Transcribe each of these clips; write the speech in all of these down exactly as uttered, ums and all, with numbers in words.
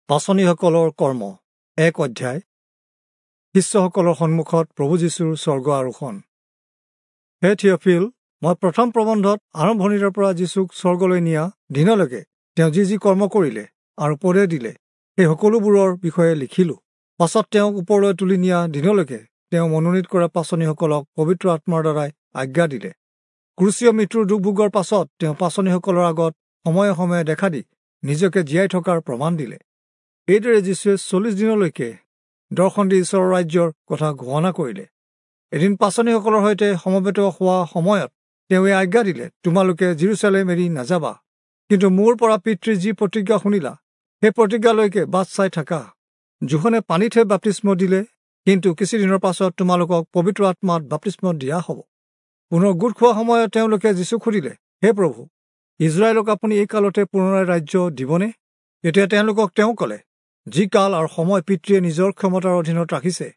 পাঁচনিসকলৰ কৰ্ম এক অধ্যায়। শিষ্যসকলৰ সন্মুখত প্ৰভু যীশুৰ স্বৰ্গ আৰোহণ। হে থিয়ফিল, মই প্ৰথম প্ৰবন্ধত আৰম্ভণিৰে পৰা যীশুক স্বৰ্গলৈ নিয়া দিনলৈকে তেওঁ যি যি কৰ্ম কৰিলে আৰু উপদেশ দিলে সেই সকলোবোৰৰ বিষয়ে লিখিলোঁ। পাছত তেওঁক ওপৰলৈ তুলি নিয়া দিনলৈকে তেওঁ মনোনীত কৰা পাঁচনিসকলক পবিত্ৰ আত্মাৰ দ্বাৰাই আজ্ঞা দিলে। ক্ৰুচীয় মৃত্যুৰ দুখ ভোগৰ পাছত তেওঁ পাঁচনিসকলৰ আগত সময়ে সময়ে দেখা দি নিজকে জীয়াই থকাৰ প্ৰমাণ দিলে। এইদৰে যীশুৱে চল্লিছ দিনলৈকে দৰ্শন দি ঈশ্বৰৰ ৰাজ্যৰ কথা ঘোষণা কৰিলে। এদিন পাঁচনিসকলৰ সৈতে সমবেত হোৱা সময়ত তেওঁ এই আজ্ঞা দিলে, তোমালোকে যিৰূচালেম এৰি নাযাবা, কিন্তু মোৰ পৰা পিতৃৰ যি প্ৰতিজ্ঞা শুনিলা সেই প্ৰতিজ্ঞালৈকে বাট চাই থাকা। যোহনে পানীতহে বাপ্তিস্ম দিলে, কিন্তু কিছুদিনৰ পাছত তোমালোকক পবিত্ৰ আত্মাত বাপ্তিস্ম দিয়া হ'ব। পুনৰ গোট খোৱা সময়ত তেওঁলোকে যীশুক সুধিলে, হে প্ৰভু, ইজৰাইলক আপুনি এই কালতে পুনৰাই ৰাজ্য দিবনে? তেতিয়া তেওঁলোকক তেওঁ ক'লে, যি কাল আৰু সময় পিতৃয়ে নিজৰ ক্ষমতাৰ অধীনত ৰাখিছে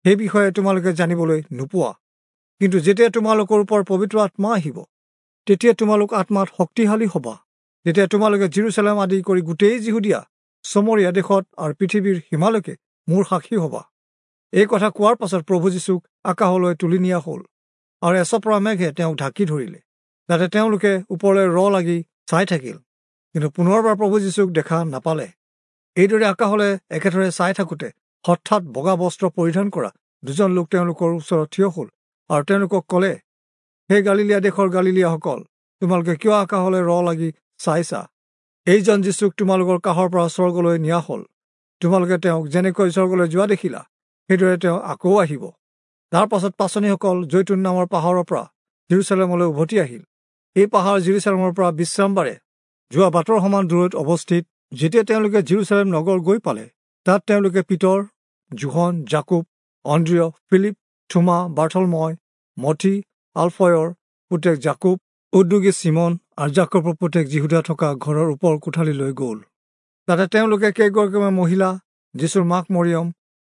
সেই বিষয়ে তোমালোকে জানিবলৈ নোপোৱা, কিন্তু যেতিয়া তোমালোকৰ ওপৰত পবিত্ৰ আত্মা আহিব তেতিয়া তোমালোক আত্মাত শক্তিশালী হ'বা। তেতিয়া তোমালোকে যিৰূচালেম আদি কৰি গোটেই যিহুদীয়া, চমৰীয়া দেশত আৰু পৃথিৱীৰ সীমালৈকে মোৰ সাক্ষী হ'বা। এই কথা কোৱাৰ পাছত প্ৰভু যীশুক আকাশলৈ তুলি নিয়া হ'ল আৰু এচপৰা মেঘে তেওঁক ঢাকি ধৰিলে। তাতে তেওঁলোকে ওপৰলৈ ৰ লাগি চাই থাকিল, কিন্তু পুনৰবাৰ প্ৰভু যীশুক দেখা নাপালে। এইদৰে আকাশলৈ একেথৰে চাই থাকোঁতে হঠাৎ বগা বস্ত্ৰ পৰিধান কৰা দুজন লোক তেওঁলোকৰ ওচৰত থিয় হ'ল আৰু তেওঁলোকক ক'লে, হে গালিলীয়া দেশৰ গালিলীয়াসকল, তোমালোকে কিয় আকাশলৈ ৰ লাগি চাইছা? এইজন যীশুক তোমালোকৰ কাষৰ পৰা স্বৰ্গলৈ নিয়া হ'ল। তোমালোকে তেওঁক যেনেকৈ স্বৰ্গলৈ যোৱা দেখিলা সেইদৰে তেওঁ আকৌ আহিব। তাৰ পাছত পাঁচনিসকল জৈতুন নামৰ পাহাৰৰ পৰা যিৰূচালেমলৈ উভতি আহিল। এই পাহাৰ যিৰূচালেমৰ পৰা বিশ্ৰামবাৰে যোৱা বাটৰ সমান দূৰৈত অৱস্থিত। যেতিয়া তেওঁলোকে যিৰূচালেম নগৰ গৈ পালে, তাত তেওঁলোকে পিতৰ, যোহন, যাকুব, অন্দ্ৰিয়, ফিলিপ, থোমা, বাৰ্থলময়, মথি, আলফয়ৰ পুতেক যাকুব, উদ্যোগী চিমন আৰু যাকোবৰ পুতেক যিহুদা থকা ঘৰৰ ওপৰ কোঠালিলৈ গ'ল। তাতে তেওঁলোকে কেইগৰাকীমান মহিলা, যীশুৰ মাক মৰিয়ম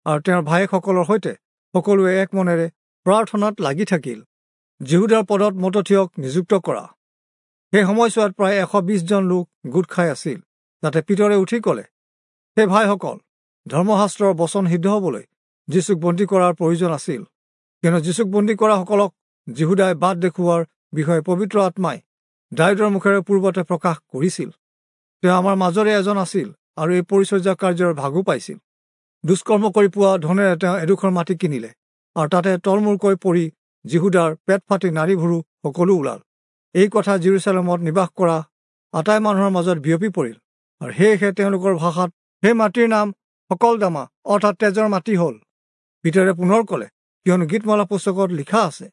আৰু তেওঁৰ ভায়েকসকলৰ সৈতে সকলোৱে এক মনেৰে প্ৰাৰ্থনাত লাগি থাকিল। যিহুদাৰ পদত মতথিয়ক নিযুক্ত কৰা সেই সময়ছোৱাত প্ৰায় এশ বিশজন লোক গোট খাই আছিল। তাতে পিতৰে উঠি ক'লে, হে ভাইসকল, ধৰ্মশাস্ত্ৰৰ বচন সিদ্ধ হ'বলৈ যীশুক বন্দী কৰাৰ প্ৰয়োজন আছিল, কিয়নো যীশুক বন্দী কৰাসকলক যিহুদাই বাট দেখুওৱাৰ বিষয়ে পবিত্ৰ আত্মাই দায়ূদৰ মুখেৰে পূৰ্বতে প্ৰকাশ কৰিছিল। তেওঁ আমাৰ মাজৰে এজন আছিল আৰু এই পৰিচৰ্যা কাৰ্যৰ ভাগো পাইছিল। দুষ্কৰ্ম কৰি পোৱা ধনেৰে তেওঁ এডোখৰ মাটি কিনিলে আৰু তাতে তলমূৰকৈ পৰি যিহুদাৰ পেট ফাটি নাড়ী ভুৰু সকলো ওলাল। এই কথা যিৰূচালেমত নিবাস কৰা আটাই মানুহৰ মাজত বিয়পি পৰিল আৰু সেয়েহে তেওঁলোকৰ ভাষাত সেই মাটিৰ নাম সকলদামা অৰ্থাৎ তেজৰ মাটি হ'ল। পিতৰে পুনৰ ক'লে, কিয়নো গীতমালা পুস্তকত লিখা আছে,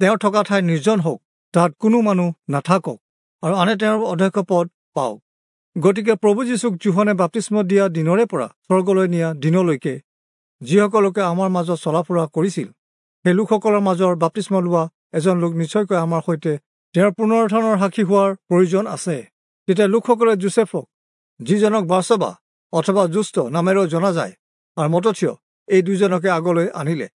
তেওঁ থকা ঠাই নিৰ্জন হওক, তাত কোনো মানুহ নাথাকক আৰু আনে তেওঁৰ অধ্যক্ষ পদ পাওক। গতিকে প্ৰভু যীশুক যোহনে বাপ্তিস্ম দিয়া দিনৰে পৰা স্বৰ্গলৈ নিয়া দিনলৈকে যিসকলকে আমাৰ মাজত চলাফুৰা কৰিছিল, সেই লোকসকলৰ মাজৰ বাপ্তিস্ম লোৱা এজন লোক নিশ্চয়কৈ আমাৰ সৈতে তেওঁৰ পুনৰুত্থানৰ সাক্ষী হোৱাৰ প্ৰয়োজন আছে। তেতিয়া লোকসকলে যোচেফক, যিজনক বাৰ্চবা অথবা যুষ্ট নামেৰেও জনা যায়, আৰু মতথিয়, এই দুজনকে আগলৈ আনিলে।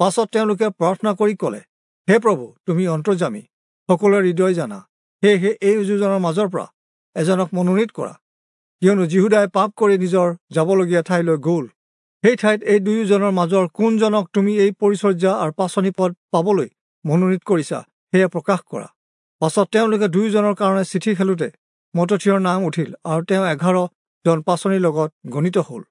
পাছত তেওঁলোকে প্ৰাৰ্থনা কৰি ক'লে, হে প্ৰভু, তুমি অন্তৰ্যামী, সকলোৰে হৃদয় জানা, সেয়েহে এই দুজনৰ মাজৰ পৰা এজনক মনোনীত কৰা, কিয়নো যিহুদাই পাপ কৰি নিজৰ যাবলগীয়া ঠাইলৈ গ'ল। সেই ঠাইত এই দুয়োজনৰ মাজৰ কোনজনক তুমি এই পৰিচৰ্যা আৰু পাঁচনি পদ পাবলৈ মনোনীত কৰিছা সেয়া প্ৰকাশ কৰা। পাছত তেওঁলোকে দুয়োজনৰ কাৰণে চিঠি খেলোঁতে মতথিয়ৰ নাম উঠিল আৰু তেওঁ এঘাৰজন পাঁচনিৰ লগত গণিত হ'ল।